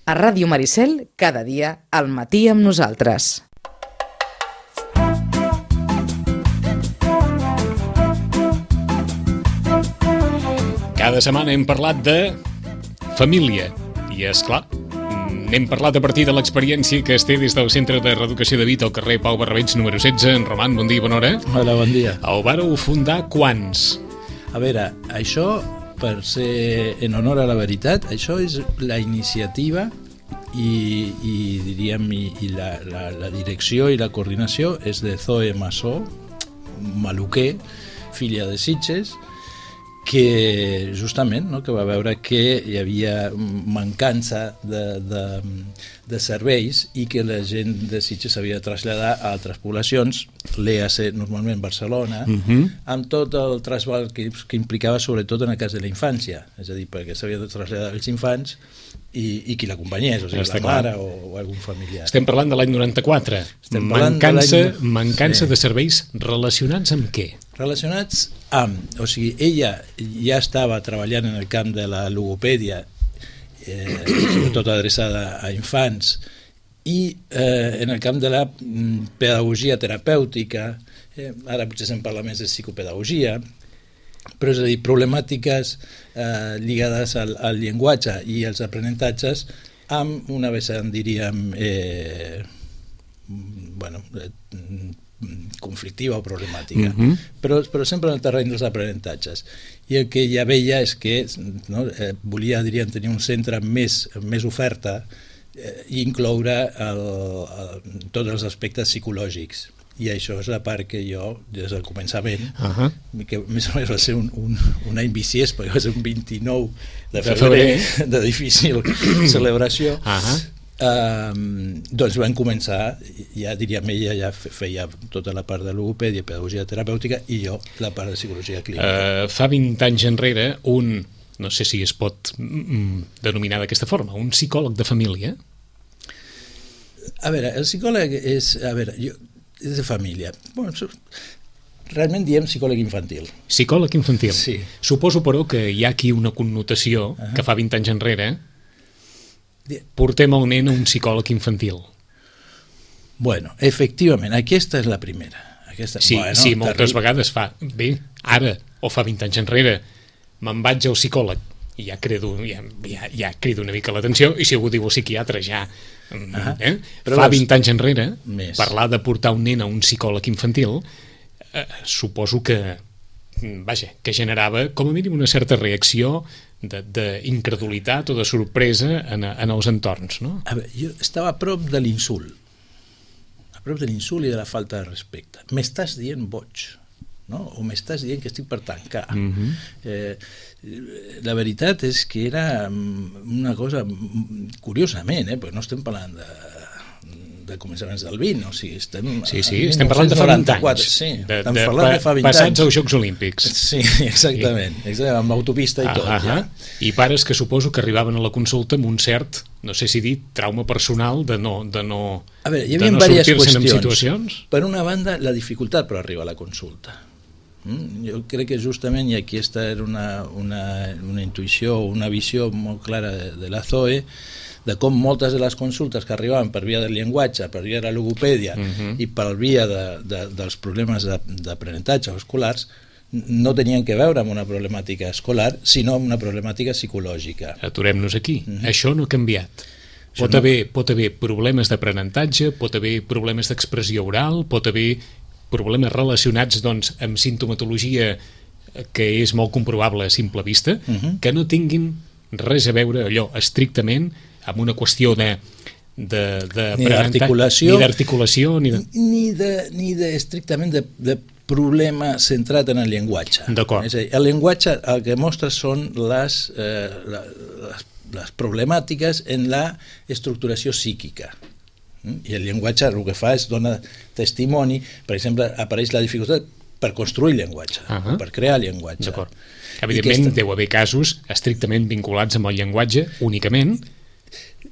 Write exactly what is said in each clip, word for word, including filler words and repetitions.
A Ràdio Maricel, cada dia, al matí amb nosaltres. Cada setmana hem parlat de família i, és clar, n'hem parlat a partir de l'experiència que es té des del Centre de Reeducació de Vit al carrer Pau Barrabeig número setze. En Roman, bon dia i bona hora. Hola, bon dia. El vàreu fundar quants? A veure, això, per ser en honor a la veritat, això és la iniciativa i, i diríem, i, i la, la, la direcció i la coordinació és de Zoe Massó, maluquer, filla de Sitges, que justament no, que va veure que hi havia mancança de, de, de serveis i que la gent de Sitges s'havia de traslladar a altres poblacions, l'E A C normalment Barcelona, uh-huh. amb tot el trasbal que, que implicava sobretot en el cas de la infància, és a dir, perquè s'havia de traslladar els infants i, i qui l'acompanyés, o sigui, Està la mare o, o algun familiar. Estem parlant de l'any noranta-quatre. Mancança, de mancança sí. de serveis relacionats amb què? Relacionats amb, o sigui, ella ja estava treballant en el camp de la logopèdia, eh, sobretot adreçada a infants, i eh, en el camp de la pedagogia terapèutica, eh, ara potser se'n parla més de psicopedagogia, però és a dir, problemàtiques eh, lligades al, al llenguatge i als aprenentatges amb una vessant, diríem, eh, bueno, eh, conflictiva o problemàtica, uh-huh. però, però sempre en el terreny dels aprenentatges. I el que ja veia és que no, eh, volia, diríem, tenir un centre més, més oferta eh, i incloure el, el, tots els aspectes psicològics. I això és la part que jo, des del començament, uh-huh. que més o menys va ser un, un, un any viciés, perquè va ser un vint-i-nou de febrer, de, febrer. de difícil celebració, uh-huh. Um, doncs vam començar, ja diríem, ella ja feia tota la part de logopèdia, pedagogia terapèutica, i jo la part de psicologia clínica. Uh, fa vint anys enrere, un, no sé si es pot mm, denominar d'aquesta forma, un psicòleg de família? A veure, el psicòleg és, a veure, jo, és de família. Bueno, realment diem psicòleg infantil. Psicòleg infantil. Sí. Suposo, però, que hi ha aquí una connotació uh-huh. que fa vint anys enrere portem el nen a un psicòleg infantil. Bueno, efectivament, aquesta és la primera. Aquesta, sí, bueno, sí, moltes vegades fa, bé, ara, o fa vint anys enrere, me'n vaig al psicòleg i ja crido, ja, ja, ja crido una mica l'atenció, i si algú diu psiquiatre ja... Uh-huh. Eh? Fa vint anys enrere, més. Parlar de portar un nen a un psicòleg infantil, eh, suposo que, vaja, que generava com a mínim una certa reacció d'incredulitat o de sorpresa en, en els entorns, no? A veure, jo estava a prop de l'insult, a prop de l'insult i de la falta de respecte. M'estàs dient boig, no? O m'estàs dient que estic per tancar. Uh-huh. eh, la veritat és que era una cosa, curiosament, eh, perquè no estem parlant de de començaments del vint, o sigui, estem... Sí, sí, estem parlant de fa vint anys. Sí, de, estem de, parlant de fa vint passats anys. als Jocs Olímpics. Sí, exactament, sí. exactament amb l'autopista i ah, tot. Ah, ja. I pares que suposo que arribaven a la consulta amb un cert, no sé si dir, trauma personal de no, de no, a veure, hi havia de no sortir-se en situacions. Per una banda, la dificultat per arribar a la consulta. Mm? Jo crec que justament, i aquí aquesta era una, una, una intuïció, una visió molt clara de, de la Zoe, de com moltes de les consultes que arribaven per via del llenguatge, per via de la logopèdia uh-huh. i per via de, de, dels problemes d'aprenentatge escolars no tenien que veure amb una problemàtica escolar, sinó amb una problemàtica psicològica. Aturem-nos aquí. Uh-huh. Això no ha canviat. Pot, no... haver, pot haver problemes d'aprenentatge, pot haver problemes d'expressió oral, pot haver problemes relacionats doncs, amb sintomatologia que és molt comprovable a simple vista, uh-huh. que no tinguin res a veure allò estrictament amb una qüestió de, de, de ni d'articulació ni d'articulació ni, de... ni, de, ni de estrictament de, de problema centrat en el llenguatge. D'acord. És a dir, el llenguatge el que mostra són les, eh, la, les, les problemàtiques en la estructuració psíquica. I el llenguatge el que fa és donar testimoni, per exemple, apareix la dificultat per construir llenguatge, uh-huh. per crear llenguatge. D'acord. Evidentment, aquesta... deu haver casos estrictament vinculats amb el llenguatge únicament.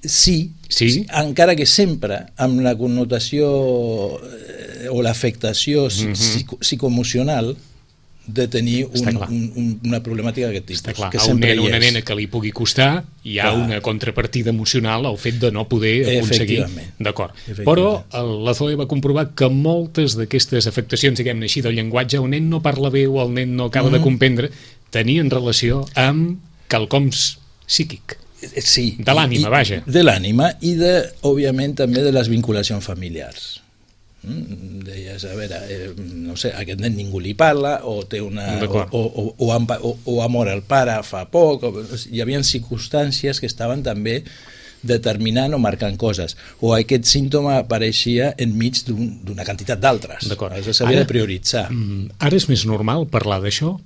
Sí, sí, encara que sempre amb la connotació eh, o l'afectació uh-huh. psico psicoemocional de tenir un, un, un, una problemàtica d'aquest tipus. Està clar, que a un nen o una és. nena que li pugui costar hi ha clar. Una contrapartida emocional al fet de no poder aconseguir. D'acord. Però la Zoe va comprovar que moltes d'aquestes afectacions, diguem-ne així, del llenguatge, el nen no parla bé o el nen no acaba mm. de comprendre, tenien relació amb quelcoms psíquic. Sí. De l'ànima, vaja. De l'ànima i, de, òbviament, també de les vinculacions familiars. Mm? Deies, a veure, eh, no sé, aquest nen ningú li parla, o té una... O, o, o, o, o ha mort el pare fa poc, o, hi havia circumstàncies que estaven també determinant o marcant coses, o aquest símptoma apareixia enmig d'una un, quantitat d'altres. Això s'havia de prioritzar. Ara és més normal parlar d'això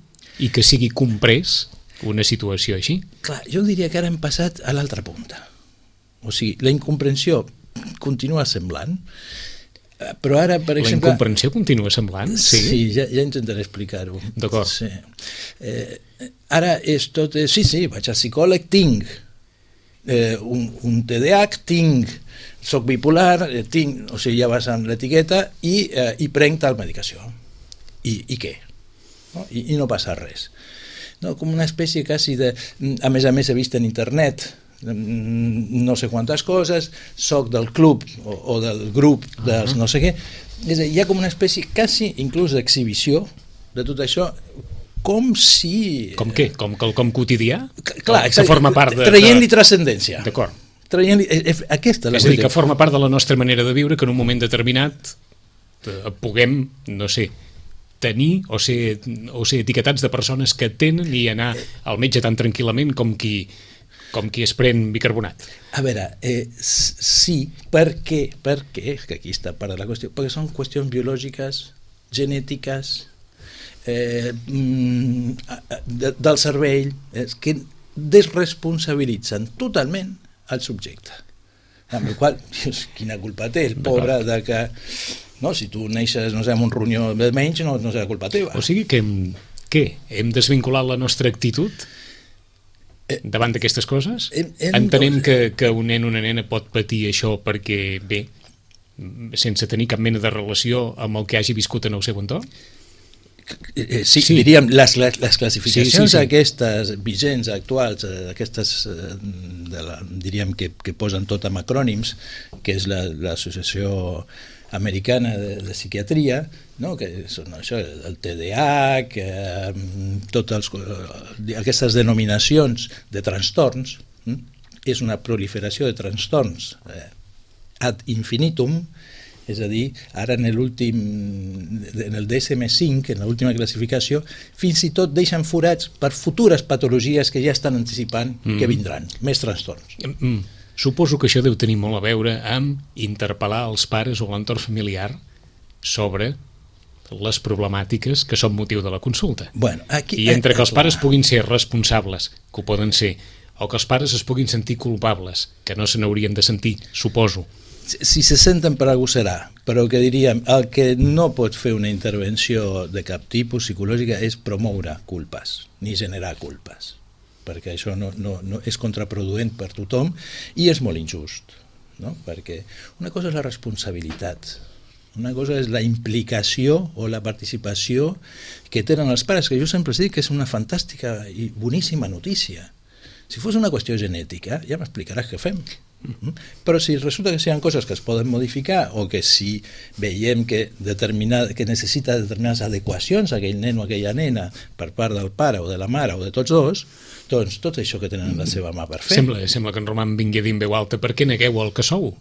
i que sigui comprès una situació així? Clar, jo diria que ara hem passat a l'altra punta. O sigui, la incomprensió continua semblant, però ara, per exemple... La incomprensió continua semblant? Sí, sí ja, ja intentaré explicar-ho. D'acord. Sí. Eh, ara és tot... Sí, sí, vaig al psicòleg, tinc eh, un, un T D A H, tinc, soc bipolar, eh, tinc, o sigui, ja vas amb l'etiqueta i, eh, i prenc tal medicació. I, i què? No? I, I no passa res. No, com una espècie quasi de... A més a més he vist en internet no sé quantes coses, soc del club o, o del grup dels uh -huh. no sé què. És a dir, hi ha com una espècie quasi inclús d'exhibició de tot això, com si... Com què? Com quelcom quotidià? Clar, que forma part de... Traient-li transcendència. D'acord. Traient-li... Aquesta és la és a dir, que forma part de la nostra manera de viure, que en un moment determinat puguem, no sé, tenir o ser, o ser etiquetats de persones que tenen i anar al metge tan tranquil·lament com qui, com qui es pren bicarbonat. A veure, eh, sí, per què? Per què? Que aquí està part de la qüestió. Perquè són qüestions biològiques, genètiques, eh, de, del cervell, eh, que desresponsabilitzen totalment el subjecte. Amb la qual cosa, quina culpa té el pobre de que... No, si tu neixes, no sé, amb un ronyó de menys, no, no serà culpa teva. O sigui que hem, què? Hem desvinculat la nostra actitud davant d'aquestes coses? Hem, hem, Entenem que, que un nen o una nena pot patir això perquè, bé, sense tenir cap mena de relació amb el que hagi viscut en el seu entorn? Eh, sí, sí, diríem, les, les, les classificacions sí, sí, sí. aquestes vigents, actuals, aquestes, de la, diríem que, que posen tot amb acrònims, que és l'associació americana de, de psiquiatria, no? Que són això, el T D A H, eh, totes aquestes denominacions de trastorns, eh? És una proliferació de trastorns eh, ad infinitum, és a dir, ara en l'últim, en el D S M cinc, en l'última classificació, fins i tot deixen forats per futures patologies que ja estan anticipant mm. que vindran, més trastorns. Mm. Suposo que això deu tenir molt a veure amb interpel·lar els pares o l'entorn familiar sobre les problemàtiques que són motiu de la consulta. Bueno, aquí, I entre que els pares puguin ser responsables, que ho poden ser, o que els pares es puguin sentir culpables, que no se n'haurien de sentir, suposo. Si se senten per algú serà, però que diríem, el que no pot fer una intervenció de cap tipus psicològica és promoure culpes, ni generar culpes, perquè això no, no, no és contraproduent per tothom i és molt injust, no? Perquè una cosa és la responsabilitat, una cosa és la implicació o la participació que tenen els pares, que jo sempre dic que és una fantàstica i boníssima notícia. Si fos una qüestió genètica, ja m'explicaràs què fem. Uh-huh. Però si resulta que hi ha coses que es poden modificar o que si veiem que, que necessita determinades adequacions a aquell nen o aquella nena per part del pare o de la mare o de tots dos, doncs tot això que tenen la seva mà per fer. Sembla, sembla que en Roman vingui a dir en veu alta: per què negueu el que sou?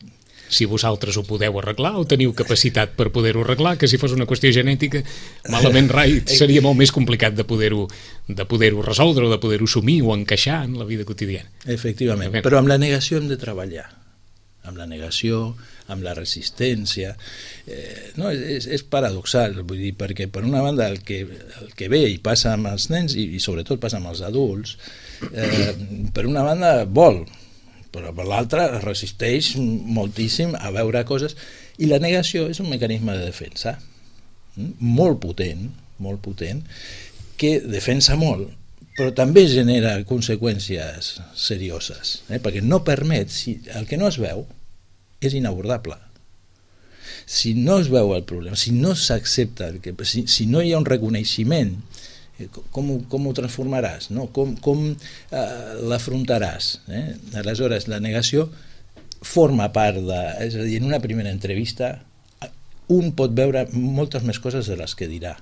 Si vosaltres ho podeu arreglar o teniu capacitat per poder-ho arreglar, que si fos una qüestió genètica, malament rai, seria molt més complicat de poder-ho de poder-ho resoldre o de poder-ho assumir o encaixar en la vida quotidiana. Efectivament, però amb la negació hem de treballar. Amb la negació, amb la resistència. Eh, no, és, és paradoxal, vull dir, perquè per una banda el que, el que ve i passa amb els nens i, i sobretot passa amb els adults, eh, per una banda vol, però per l'altra resisteix moltíssim a veure coses, i la negació és un mecanisme de defensa molt potent, molt potent, que defensa molt, però també genera conseqüències serioses, eh? Perquè no permet, si el que no es veu és inabordable. si no es veu el problema, si no s'accepta, si, si no hi ha un reconeixement, com, com ho transformaràs, no? Com, com eh, l'afrontaràs? Eh? Aleshores, la negació forma part de... És a dir, en una primera entrevista un pot veure moltes més coses de les que dirà.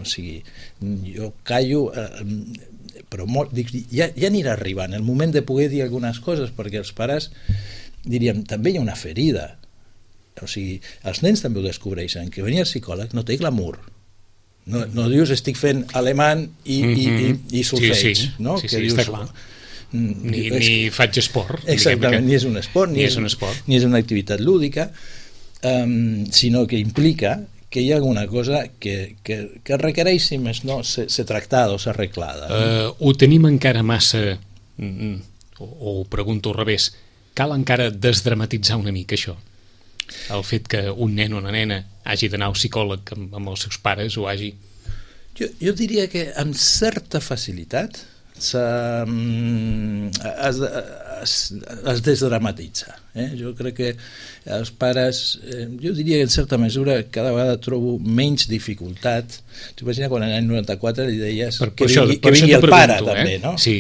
O sigui, jo callo, eh, però molt, dic, ja, ja anirà arribant el moment de poder dir algunes coses, perquè els pares diríem, també hi ha una ferida. O sigui, els nens també ho descobreixen, que venir al psicòleg no té glamour. No, no dius estic fent alemany i, mm-hmm. i, i solfeig, sí, sí. no? Sí, que sí, dius, està clar. Ni, és, ni faig esport. Exactament, ni és un esport, ni, ni és, és un esport. ni és una activitat lúdica, um, sinó que implica que hi ha alguna cosa que, que, que requereix, si més no, ser, ser tractada o ser arreglada. No? Uh, ho tenim encara massa, mm, o, o ho pregunto al revés, cal encara desdramatitzar una mica això? El fet que un nen o una nena hagi d'anar al psicòleg amb, amb els seus pares o hagi... Jo, jo diria que amb certa facilitat es, es, es desdramatitza. Eh? Jo crec que els pares, eh, jo diria que en certa mesura cada vegada trobo menys dificultat. T'imagina quan l'any noranta-quatre li deies per, que per vingui, això, per que vingui el pregunto, pare, eh? també, no? Sí.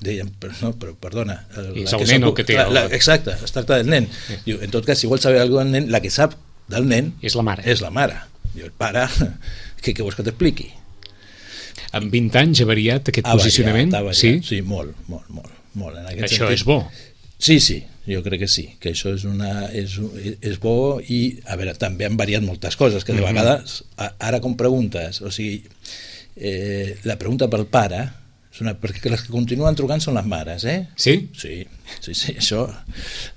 Deien, però, no, però perdona, el, és la el que nen sap, el que té la, el... la, exacte, es tracta del nen. Sí. Diu, en tot cas, si vols saber alguna cosa del nen, la que sap del nen és la mare. És la mare. Diu, el pare, què, què vols que t'expliqui? En vint anys ha variat aquest ha posicionament? variat, ha variat. Sí? Sí, molt, molt, molt. molt. En aquest això sentit, és bo. Sí, sí, jo crec que sí, que això és, una, és, és bo i, a veure, també han variat moltes coses, que de mm-hmm. vegades, ara com preguntes, o sigui, eh, la pregunta pel pare, és una, perquè les que continuen trucant són les mares, eh? Sí? Sí, sí, sí, això...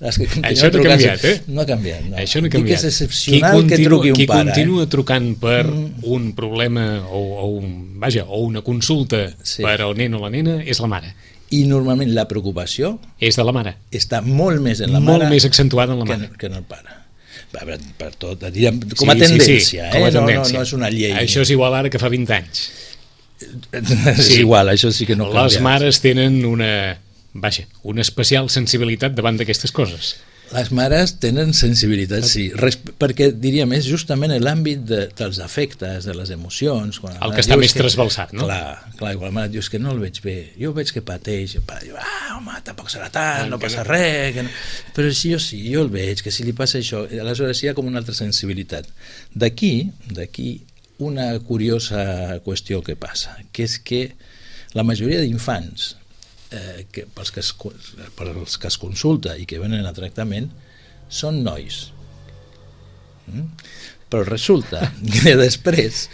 Les que això no ha canviat, eh? No ha canviat, no. Això no ha canviat. Dic que és excepcional continua, que truqui un qui pare. Qui continua eh? trucant per mm. un problema o, o, un, vaja, o una consulta sí. per al nen o la nena és la mare. I normalment la preocupació... És de la mare. Està molt més en la molt mare... Molt més accentuada en la mare. Que, que en el pare. Per, per tot, diríem, com a sí, tendència, sí, sí, eh? Com a tendència. No, no, no és una llei. Això és igual ara que fa vint anys. És sí. igual, això sí que no canvia. Les mares tenen una, vaja, una especial sensibilitat davant d'aquestes coses. Les mares tenen sensibilitat, sí, Res, perquè diríem, és justament l'àmbit de, dels afectes, de les emocions. Quan el que està més que, trasbalsat, no? Clar, clar, igual la mare dius que no el veig bé, jo veig que pateix, el pare diu, ah, home, tampoc serà tant, no passa no. res, que no. Però si jo sí, jo el veig, que si li passa això, aleshores hi ha com una altra sensibilitat. D'aquí, d'aquí, una curiosa qüestió que passa, que és que la majoria d'infants eh, que, pels, que es, pels que es consulta i que venen a tractament són nois. Mm? Però resulta que després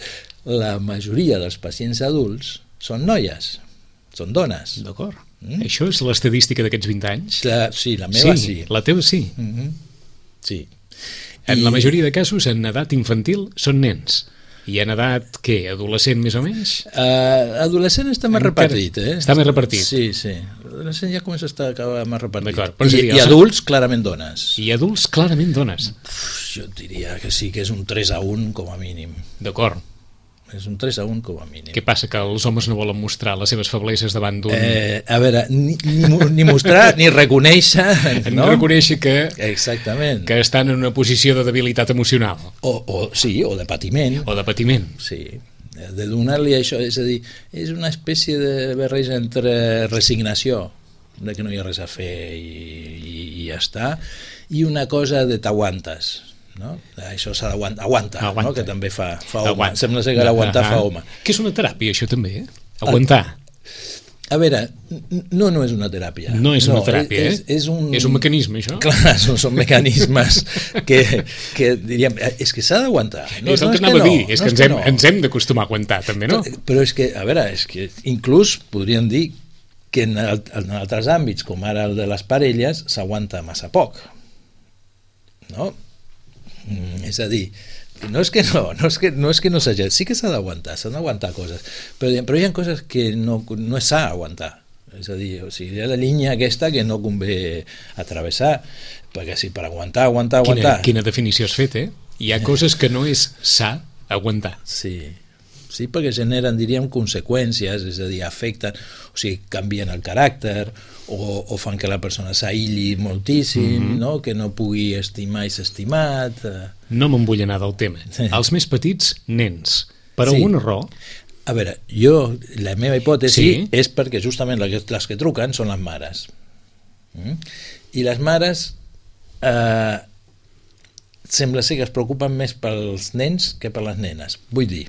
la majoria dels pacients adults són noies, són dones. D'acord. Mm? Això és l'estadística d'aquests vint anys? La, sí, la meva sí. sí. La teva sí? Mm-hmm. Sí. En I... la majoria de casos, en edat infantil, són nens. I en edat, què, adolescent més o menys? Uh, adolescent està més Encara repartit, eh? Està més repartit. Sí, sí. Adolescent ja comença a estar més repartit. I, I, I adults, clarament dones. I adults, clarament dones. Uf, jo diria que sí, que és un tres a un com a mínim. D'acord. És un tres a un com a mínim. Què passa, que els homes no volen mostrar les seves febleses davant d'un... Eh, a veure, ni, ni, ni mostrar ni reconèixer... No? Ni reconèixer que... Exactament. Que estan en una posició de debilitat emocional. O, o sí, o de patiment. O de patiment. Sí, de donar-li això, és a dir, és una espècie de barreja entre resignació, de que no hi ha res a fer i, i, i ja està, i una cosa de t'aguantes. No? Això s'ha d'aguantar, aguanta, aguanta. No? Que també fa, fa home, aguanta. Sembla ser que l'aguantar fa home. Que és una teràpia això també, eh? Aguantar. A veure, no, no és una teràpia. No és una no, teràpia, és, eh? És un... és un mecanisme, això? Clar, són, són mecanismes que, que diríem, és que s'ha d'aguantar. No, és el no que és anava que no, a dir, és no que, ens, hem, no. ens hem d'acostumar a aguantar, també, no? Però és que, a veure, és que inclús podríem dir que en, el, en altres àmbits, com ara el de les parelles, s'aguanta massa poc. No? Mm, és a dir, no és que no, no és que no, és que no s'hagi, sí que s'ha d'aguantar, s'han d'aguantar coses, però, però hi ha coses que no, no s'ha d'aguantar, és a dir, o sigui, hi ha la línia aquesta que no convé atravessar, perquè si per aguantar, aguantar, aguantar... Quina, quina definició has fet, eh? Hi ha coses que no és s'ha aguantar. Sí, sí, perquè generen, diríem, conseqüències, és a dir, afecten, o sigui, canvien el caràcter, o, o fan que la persona s'aïlli moltíssim, mm-hmm. no? Que no pugui estimar i ser estimat. No me'n vull anar del tema. Sí. Els més petits, nens. Per sí. alguna raó? A veure, jo, la meva hipòtesi sí. és perquè justament les, les que truquen són les mares. Mm? I les mares eh, sembla ser que es preocupen més pels nens que per les nenes. Vull dir,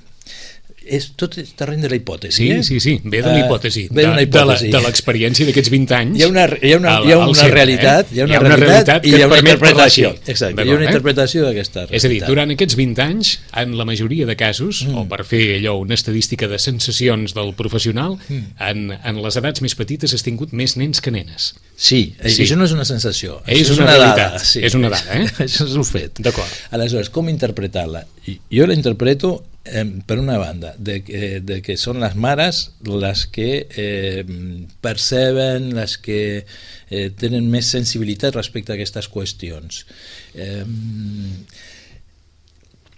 és tot és terreny de la hipòtesi. Sí, eh? sí, sí, ve de la hipòtesi. Uh, ve d'una hipòtesi. De l'experiència d'aquests vint anys. Hi ha una, hi ha una, hi ha una centre, realitat, eh? hi ha una, hi ha una realitat, realitat i hi ha una interpretació. Exacte, hi ha una interpretació d'aquesta realitat. És a dir, durant aquests vint anys, en la majoria de casos, mm. o per fer allò, una estadística de sensacions del professional, mm. en, en les edats més petites has tingut més nens que nenes. Sí, sí. Això no és una sensació. És, és una, una realitat. Dada, sí. És una dada, eh? Això és un fet. D'acord. Aleshores, com interpretar-la? Jo la interpreto Eh, per una banda, de que, de que són les mares les que eh, perceben, les que eh, tenen més sensibilitat respecte a aquestes qüestions. Eh,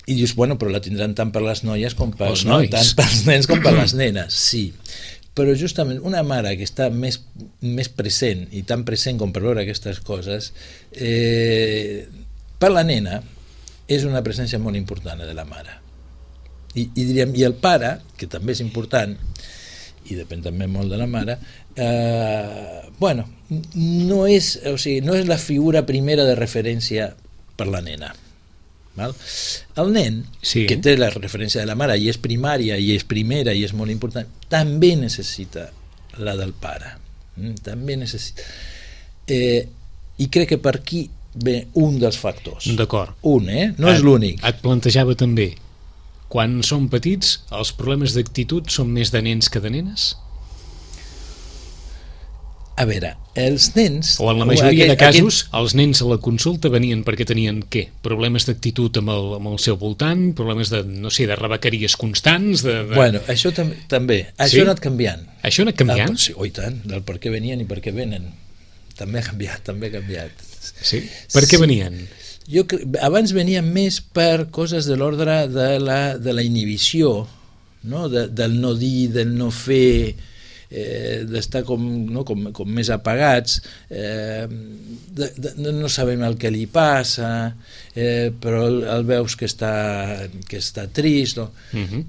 I dius, bueno, però la tindran tant per les noies com per, no, tant pels nens com per les nenes, sí. Però justament una mare que està més, més present, i tan present com per veure aquestes coses, eh, per la nena és una presència molt important de la mare. I, i diríem, i el pare, que també és important, i depèn també molt de la mare, eh, bueno, no és, o sigui, no és la figura primera de referència per la nena. Val? El nen, sí. que té la referència de la mare i és primària i és primera i és molt important, també necessita la del pare. Mm, també necessita. Eh, I crec que per aquí ve un dels factors. D'acord. Un, eh? No et, és l'únic. Et plantejava també, quan són petits, els problemes d'actitud són més de nens que de nenes? A veure, els nens... O en la majoria aquell, de casos, aquell... els nens a la consulta venien perquè tenien, què? Problemes d'actitud amb, el, amb el seu voltant, problemes de, no sé, de rebequeries constants... De, de... Bueno, això tam també. Això sí? ha anat canviant. Això ha anat canviant? Ah, sí, oi tant, del per què venien i per què venen. També ha canviat, també ha canviat. Sí? Per què sí. venien? Jo, abans venien més per coses de l'ordre de, la, de la inhibició, no? De, del no dir, del no fer, eh, d'estar com, no? com, com més apagats, eh, de, de, no sabem el que li passa, eh, però el, el veus que està, que està trist, no? Uh-huh.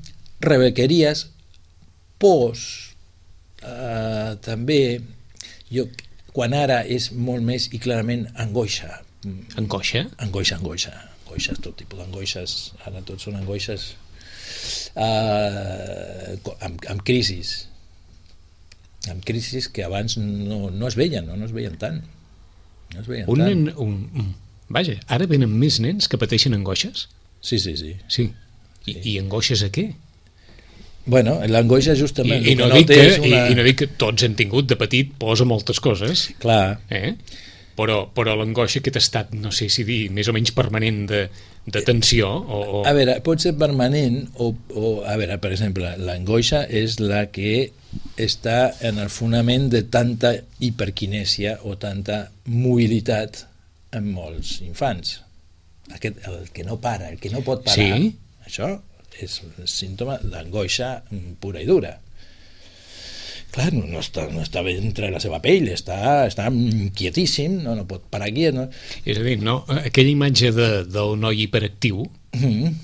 Rebequeries, pors, eh, també, jo, quan ara és molt més i clarament angoixa. Angoixa? Angoixa, angoixa. Angoixes, tot tipus d'angoixes. Ara tots són angoixes uh, amb, amb crisis. Amb crisis que abans no, no es veien, no, no es veien tant. No es veien un tant. Nen, un, un, vaja, ara venen més nens que pateixen angoixes? Sí, sí, sí. Sí. I, sí. I angoixes a què? Bueno, l'angoixa justament... I, i, no no dic que, una... i, i no dic que tots hem tingut de petit por a moltes coses. Clar. Eh? Però, però l'angoixa, aquest estat, no sé si dir, més o menys permanent de, de tensió o, o... A veure, pot ser permanent o, o a veure, per exemple, l'angoixa és la que està en el fonament de tanta hiperquinèsia o tanta mobilitat en molts infants. Aquest, el que no para, el que no pot parar, sí? Això és símptoma d'angoixa pura i dura. Clar, no, no, està, no està entre la seva pell, està, està quietíssim, no, no pot parar quiet. No? És a dir, no, aquella imatge de, del noi hiperactiu mm-hmm.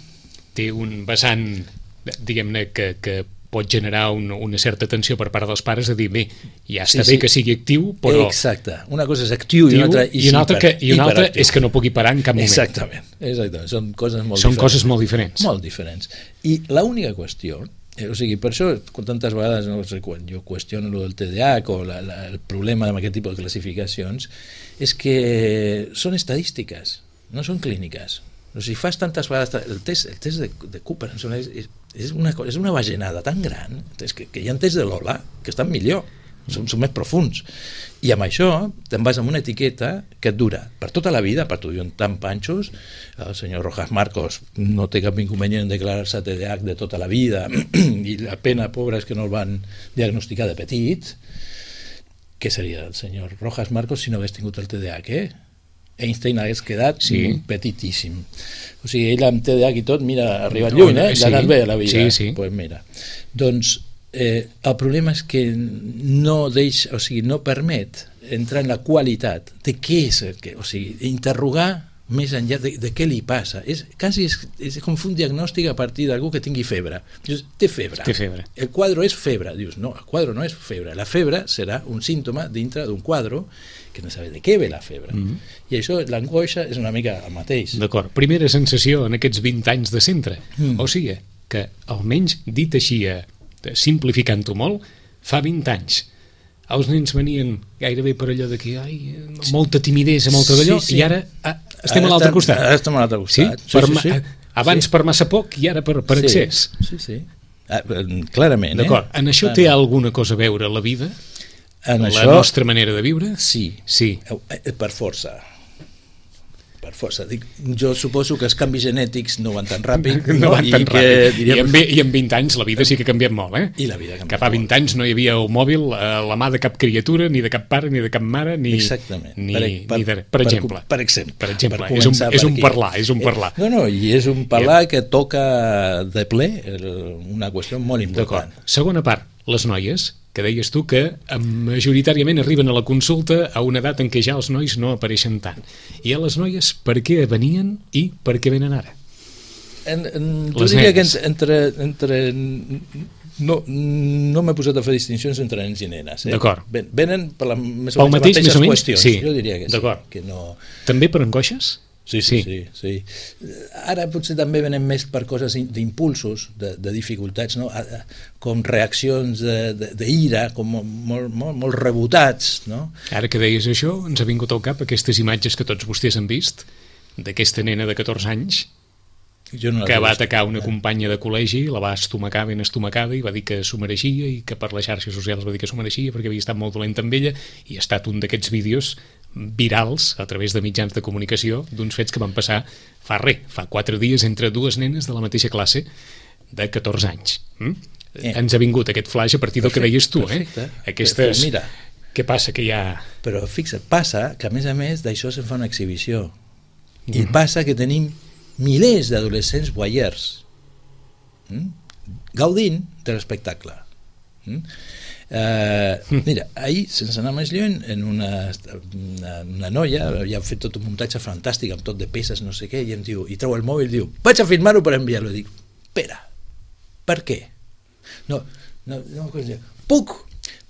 té un vessant, diguem-ne, que, que pot generar un, una certa tensió per part dels pares de dir, bé, ja està sí, bé sí. que sigui actiu, però... Exacte, una cosa és actiu i una altra és i una altra, que, i una altra és que no pugui parar en cap moment. Exactament, exactament. Són coses molt Són diferents. coses molt diferents. Molt diferents. I l'única qüestió, eh, o sigui, per això tantes vegades no sé, quan jo qüestiono el del T D A H o la, la, el problema amb aquest tipus de classificacions, és que són estadístiques, no són clíniques. O sigui, fas tantes vegades... El test, el test de, de Cooper és, és, una, és una bajanada tan gran que, que hi ha tests de Lola que estan millor, són, són més profuns. I amb això te'n vas amb una etiqueta que et dura per tota la vida, per tu diuen tan panxos, el senyor Rojas Marcos no té cap inconvenient en declarar-se T D A H de tota la vida i la pena, pobra, és que no el van diagnosticar de petit. Què seria el senyor Rojas Marcos si no hagués tingut el T D A H, eh? Einstein hagués quedat sí. petitíssim. O sigui, ell amb T D A H i tot, mira, ha arribat lluny, eh? Sí. L'ha anat bé a la vida. Sí, sí. Pues mira. Doncs eh, el problema és que no deixa, o sigui, no permet entrar en la qualitat de què és el que, o sigui, interrogar més enllà de, de què li passa. És, quasi és, és com fer un diagnòstic a partir d'algú que tingui febre. Dius, té febre. Té febre. El quadre és febre. Dius, no, el quadre no és febre. La febre serà un símptoma dintre d'un quadre que no sabe de què ve la febre. Mm -hmm. I això, l'angoixa, és una mica el mateix. D'acord. Primera sensació en aquests vint anys de centre. Mm. O sigui, que almenys dit així, simplificant-ho molt, fa vint anys els nens venien gairebé per allò de que ai, molta timidesa, molta d'allò, sí, sí. I ara ah, estem ara a l'altre estem, costat. Ara estem a l'altre costat. Sí? Per sí, sí, sí. Abans sí. Per massa poc i ara per, per sí. Excés. Sí, sí. Ah, clarament. D'acord. Eh? En això clarament. Té alguna cosa a veure la vida? En la això, nostra manera de viure? Sí. Sí. Per força. Per força. Dic, jo suposo que els canvis genètics no van tan ràpid. No, no van tan I ràpid. Que, diríem... I, en, I en vint anys la vida sí que ha canviat molt, eh? I la vida ha canviat que fa vint molt. Anys no hi havia el mòbil a la mà de cap criatura, ni de cap pare, ni de cap mare, ni... Exactament. Ni, per, per, ni de, per, per exemple. Per, per exemple. Per exemple. Per és un, és un per parlar, és un parlar. No, no, i és un parlar que toca de ple una qüestió molt important. Segona part, les noies, que deies tu que majoritàriament arriben a la consulta a una edat en què ja els nois no apareixen tant. I a les noies, per què venien i per què venen ara? En, en, jo diria que entre... entre no no m'he posat a fer distincions entre nens i nenes. Eh? D'acord. Venen per la, més Pel mateix, les més o menys? qüestions. Sí. Jo diria que sí. Que no... També per angoixes? Sí sí, sí, sí, sí. Ara potser també venen més per coses d'impulsos, de, de dificultats, no? Com reaccions d'ira, com molt, molt, molt rebotats. No? Ara que deies això, ens ha vingut al cap aquestes imatges que tots vostès han vist d'aquesta nena de catorze anys jo no que va atacar una companya de col·legi, la va estomacar ben estomacada i va dir que s'ho mereixia i que per les xarxes socials va dir que s'ho mereixia perquè havia estat molt dolent amb ella i ha estat un d'aquests vídeos virals a través de mitjans de comunicació d'uns fets que van passar fa res, fa quatre dies entre dues nenes de la mateixa classe de catorze anys. Mm? Eh. Ens ha vingut aquest flash a partir del que deies tu, perfecte. Eh? Aquestes... Però mira, què passa que hi ha... Però fixa't, passa que a més a més d'això se'n fa una exhibició mm. i passa que tenim milers d'adolescents voyeurs mm? gaudint de l'espectacle. Mm? Uh, mira, ahir, sense anar més lluny, en una, una, una noia havia fet tot un muntatge fantàstic amb tot de peces, no sé què, i em diu, i treu el mòbil i diu, vaig a filmar-ho per enviar-lo. Dic, espera, per què? No, no, no puc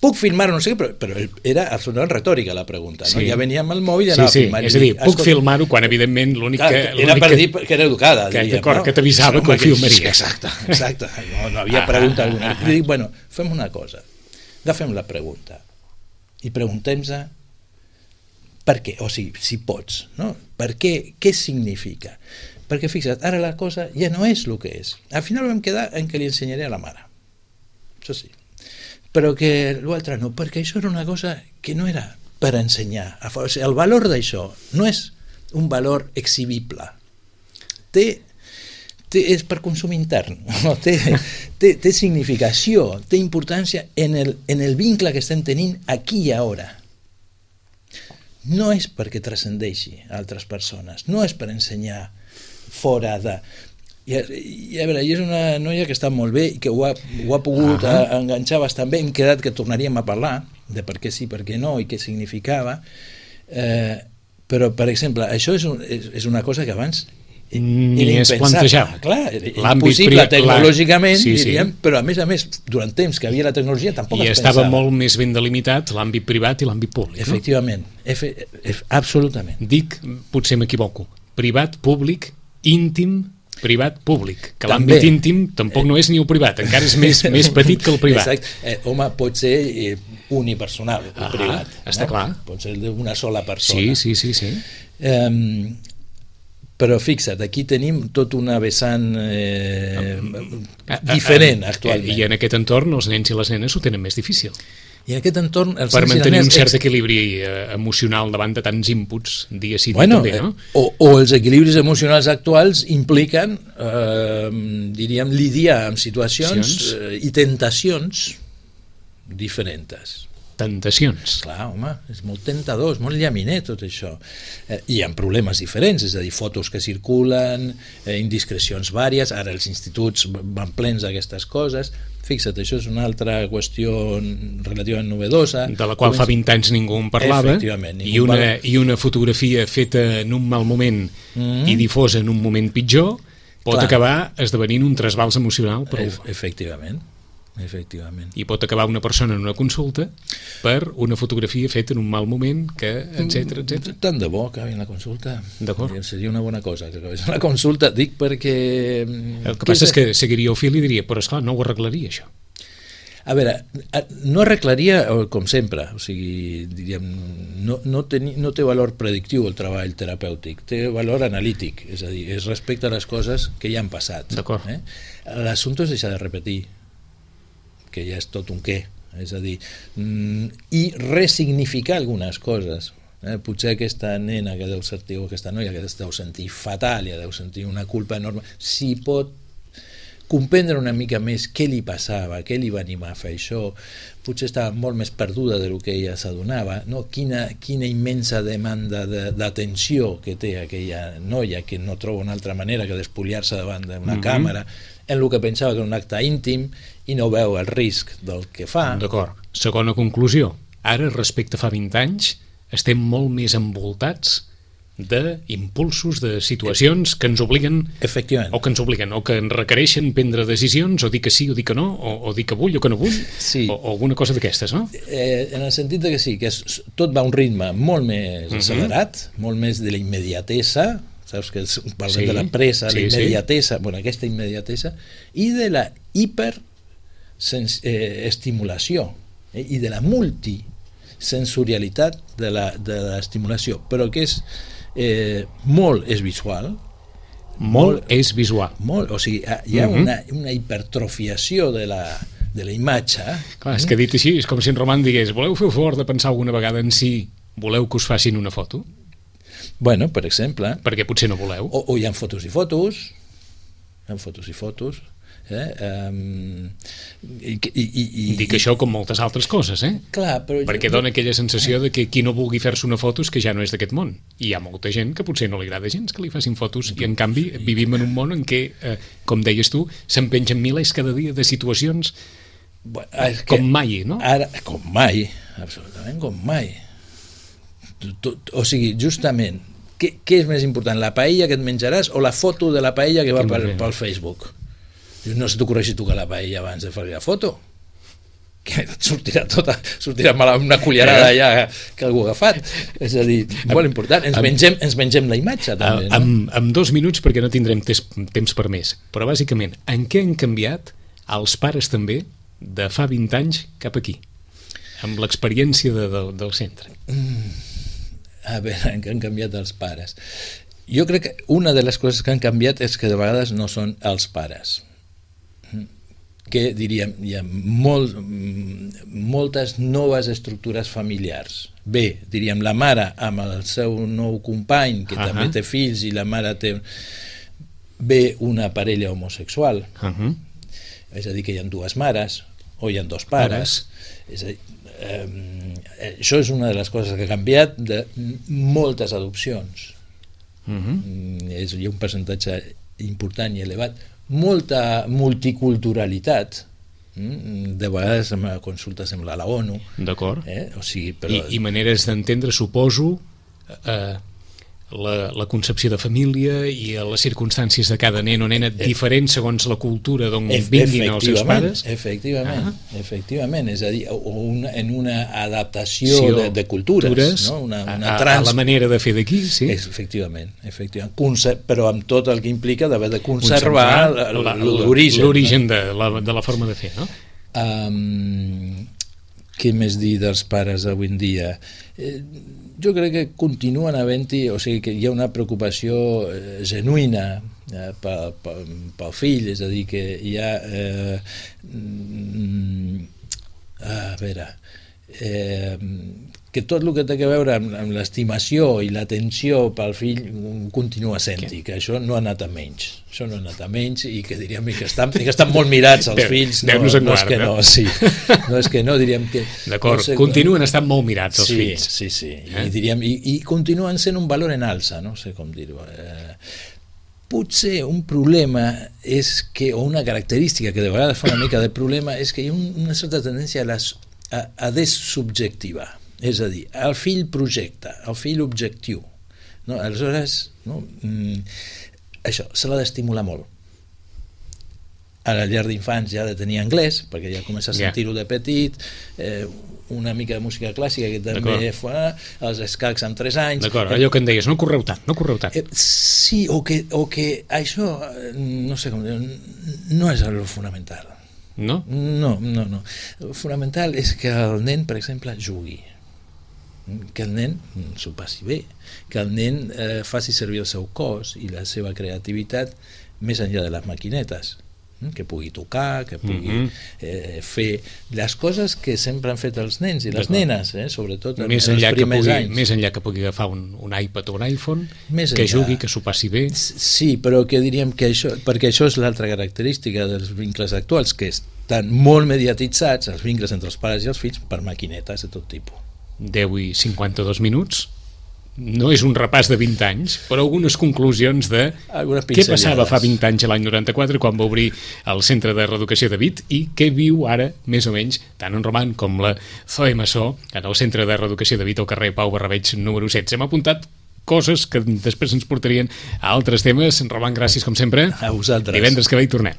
puc filmar-ho, no sé què, però, però era absolutament retòrica la pregunta, no? Sí. Ja venia amb el mòbil i anava sí, sí. a filmar. És a dir, puc escolta, filmar-ho quan evidentment l'únic que... Era per dir que era educada, que, diríem, no? Que t'avisava que ho filmaria. Exacte, exacte. No, no havia pregunta alguna. I dic, bueno, fem una cosa, agafem la pregunta i preguntem-se per què, o sigui, si pots, no? Per què, què significa? Perquè fixa't, ara la cosa ja no és el que és. Al final vam quedar en què li ensenyaré a la mare. Això sí. Però que l'altre no, perquè això era una cosa que no era per ensenyar. O sigui, el valor d'això no és un valor exhibible. Té, té, és per consum intern. No? Té, té, té significació, té importància en el, en el vincle que estem tenint aquí i ara. No és perquè transcendeixi a altres persones, no és per ensenyar fora de... I, i a veure, i és una noia que està molt bé i que ho ha, ho ha pogut uh -huh. enganxar bastant bé. Hem quedat que tornaríem a parlar de per què sí, per què no i què significava, eh, però per exemple això és, un, és, és una cosa que abans ni es plantejava. Clar, era impossible tecnològicament, sí, sí. diríem, però a més a més durant temps que havia la tecnologia tampoc I es estava pensava. molt més ben delimitat l'àmbit privat i l'àmbit públic. Efectivament, no? Efe, ef, absolutament. Dic, potser m'equivoco, privat, públic, íntim, privat, públic, que l'àmbit íntim tampoc no és ni el privat, encara és més, més petit que el privat. Exacte. Eh, home, pot ser eh, unipersonal, el ah, privat. Està no? clar. Pot ser d'una sola persona. Sí, sí, sí. sí. Eh, però fixa't, aquí tenim tot una vessant eh, diferent actualment. I en aquest entorn els nens i les nenes ho tenen més difícil. I en aquest entorn els per mantenir un cert ex... equilibri eh, emocional davant de tants inputs dia sí dia bueno, també, no? Eh, o, o els equilibris emocionals actuals impliquen eh, diríem lidiar amb situacions eh, i tentacions diferents. tentacions. Clar, home, és molt tentador, és molt llaminer tot això. Eh, hi ha problemes diferents, és a dir, fotos que circulen, eh, indiscrecions vàries, ara els instituts van plens d'aquestes coses. Fixa't, això és una altra qüestió relativament novedosa. De la qual fa vint anys ningú en parlava, ningú i, una, parla... i una fotografia feta en un mal moment mm-hmm. i difosa en un moment pitjor pot Clar. acabar esdevenint un trasbals emocional prou. E efectivament. Efectivament. I pot acabar una persona en una consulta per una fotografia feta en un mal moment, que etcètera, etcètera. Tant de bo que acabi la consulta. D'acord. Seria una bona cosa que acabés la consulta, dic perquè... El que passa és que seguiria el fil i diria, però esclar, no ho arreglaria això. A veure, no arreglaria com sempre, o sigui, diríem, no, no, teni, no té valor predictiu el treball terapèutic, té valor analític, és a dir, es respecta les coses que ja han passat. D'acord. Eh? L'assumpte és deixar de repetir, que ja és tot un què, és a dir, mm, i resignificar algunes coses. Eh? Potser aquesta nena que deu sentir, o aquesta noia que deu sentir fatal, ja deu sentir una culpa enorme, si pot comprendre una mica més què li passava, què li va animar a fer això, potser estava molt més perduda del que ella s'adonava, no? quina, quina immensa demanda d'atenció que té aquella noia que no troba una altra manera que despuliar-se davant d'una mm-hmm. càmera, en el que pensava que era un acte íntim i no veu el risc del que fa. D'acord. Segona conclusió. Ara, respecte a fa vint anys, estem molt més envoltats d'impulsos, de situacions que ens obliguen Efectivament. o que ens obliguen, o que ens requereixen prendre decisions, o dir que sí o dir que no, o, o dir que vull o que no vull, sí. o, o alguna cosa d'aquestes, no? Eh, en el sentit de que sí, que és, tot va a un ritme molt més uh-huh. accelerat, molt més de la immediatesa, saps que parlem sí, de la pressa, sí, la immediatesa, sí. bueno, aquesta immediatesa, i de la hiperestimulació eh, i de la multisensorialitat de la, de l'estimulació, però que és eh, molt és visual, molt, molt és visual, molt, o sigui, hi ha uh-huh. una, una hipertrofiació de la, de la imatge. Clar, és que dit així, és com si en Roman digués, voleu fer el favor de pensar alguna vegada en si voleu que us facin una foto? Bueno, per exemple. Perquè potser no voleu. O, o hi ha fotos i fotos, hi ha fotos i fotos, eh? Um, i, i, i, Dic això com moltes altres coses, eh? Clar, però perquè jo, dona aquella sensació de que qui no vulgui fer-se una foto és que ja no és d'aquest món. I hi ha molta gent que potser no li agrada gens que li facin fotos, i en canvi vivim en un món en què, eh, com deies tu, se'n pengen milers cada dia de situacions bueno, com mai, no? Ara, com mai, absolutament com mai. O sigui, justament, què, què és més important, la paella que et menjaràs o la foto de la paella que va pel, pel Facebook? No se t'ocorreixi tocar la paella abans de fer la foto, que sortirà tota, sortirà mal una cullerada allà que algú ha agafat. És a dir, molt important, ens mengem, ens mengem la imatge també, no? Amb, amb dos minuts, perquè no tindrem tes, temps per més, però bàsicament, en què han canviat els pares també de fa vint anys cap aquí, amb l'experiència de, de, del centre? Mm. A veure, en què han canviat els pares? Jo crec que una de les coses que han canviat és que de vegades no són els pares, que diríem, hi ha molt, moltes noves estructures familiars. Bé, diríem, la mare amb el seu nou company, que uh-huh. també té fills, i la mare té... Bé, una parella homosexual, uh-huh. és a dir, que hi ha dues mares, o hi ha dos pares, és a dir, eh, això és una de les coses que ha canviat de moltes adopcions. Uh-huh. És, hi ha un percentatge important i elevat, molta multiculturalitat, de vegades en la consulta sembla la ONU, d'acord, eh? O sigui, però... I, i maneres d'entendre, suposo, eh, la, la concepció de família i les circumstàncies de cada nen o nena diferents segons la cultura d'on vinguin els seus pares. Efectivament, ah. efectivament, és a dir, una, en una adaptació sí, de, de cultures, cultures no? una, una a, trans... a la manera de fer d'aquí, sí. Efectivament, efectivament. Conce... però amb tot el que implica d'haver de conservar l'origen. L'origen de, la, de la forma de fer, no? Um, què més dir dels pares avui en dia? Eh, jo crec que continuen havent-hi, o sigui que hi ha una preocupació eh, genuïna eh, pel, pel, pel fill, és a dir, que hi ha eh, mm, a veure eh, que tot el que té a veure amb, amb l'estimació i l'atenció pel fill continua sent-hi, que això no ha anat a menys. Això no ha anat a menys i que diríem que estan, que estan molt mirats els fills. No, no, no és que no, sí. No és que no, diríem que... D'acord, no sé, continuen estant molt mirats els sí, fills. Sí, sí, eh? I, diríem, i, i continuen sent un valor en alça, no sé com dir-ho. Eh, potser un problema és que, o una característica que de vegades fa una mica de problema, és que hi ha un, una certa tendència a, les, a, a dessubjectivar. És a dir, el fill projecta, el fill objectiu. No? Aleshores, no? Mm, això, se l'ha d'estimular molt. A la llar d'infants ja ha de tenir anglès, perquè ja comença a sentir-ho de petit, eh, una mica de música clàssica que també fa, els escacs amb tres anys... D'acord, allò que em deies, no correu tant, no correu tant. Eh, sí, o que, o que això, no sé com dir, no és el fonamental. No? No, no, no. El fonamental és que el nen, per exemple, jugui. Que el nen s'ho passi bé, que el nen eh, faci servir el seu cos i la seva creativitat més enllà de les maquinetes, que pugui tocar, que pugui mm-hmm. eh, fer les coses que sempre han fet els nens i les nenes, eh, sobretot en, més en els primers pugui, anys. Més enllà que pugui agafar un, un iPad o un iPhone, més que enllà. jugui, que s'ho passi bé. Sí, però que diríem que això, perquè això és l'altra característica dels vincles actuals, que estan molt mediatitzats, els vincles entre els pares i els fills, per maquinetes de tot tipus. deu i cinquanta-dos minuts, no és un repàs de vint anys, però algunes conclusions de què passava fa vint anys a l'any noranta-quatre quan va obrir el Centre de Reeducació de Vic i què viu ara, més o menys, tant en Roman com la Zoe Massó en el Centre de Reeducació de Vic al carrer Pau Barrabeig número setze. Hem apuntat coses que després ens portarien a altres temes. Roman, gràcies com sempre. A vosaltres. Divendres que ve hi tornem.